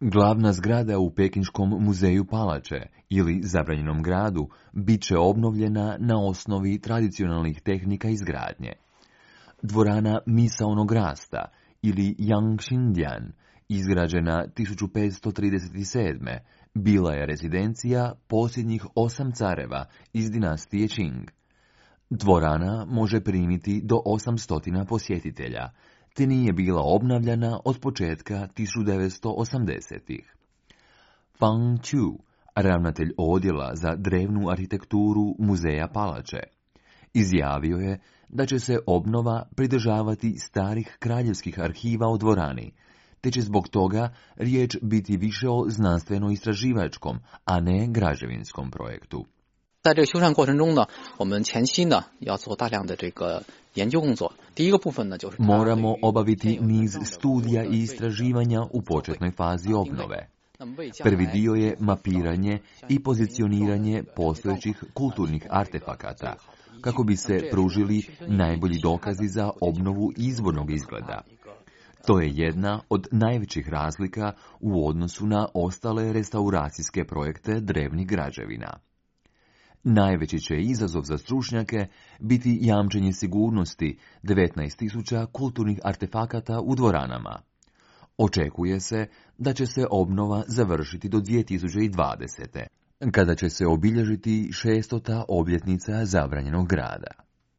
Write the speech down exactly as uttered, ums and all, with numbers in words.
Glavna zgrada u Pekinškom muzeju palače ili zabranjenom gradu bit će obnovljena na osnovi tradicionalnih tehnika izgradnje. Dvorana misaonog rasta ili Yangxindian, izgrađena tisuću petsto trideset sedme. bila je rezidencija posljednjih osam careva iz dinastije Qing. Dvorana može primiti do osamsto posjetitelja, te nije bila obnavljana od početka tisuću devetsto osamdesetih. Fang Qiu, ravnatelj odjela za drevnu arhitekturu muzeja palače, izjavio je da će se obnova pridržavati starih kraljevskih arhiva o dvorani, te će zbog toga riječ biti više o znanstveno-istraživačkom, a ne građevinskom projektu. 在这个修缮过程中呢，我们前期呢要做大量的这个研究工作。第一个部分呢就是 Moramo obaviti niz studija i istraživanja u početnoj fazi obnove. Prvi dio je mapiranje i pozicioniranje postojećih kulturnih artefakata, kako bi se pružili najbolji dokazi za obnovu izvornog izgleda. To je jedna od najvećih razlika u odnosu na ostale restauracijske projekte drevnih građevina. Najveći će izazov za stručnjake biti jamčenje sigurnosti devetnaest tisuća kulturnih artefakata u dvoranama. Očekuje se da će se obnova završiti do dvije tisuće dvadesete. kada će se obilježiti šestota obljetnica zabranjenog grada.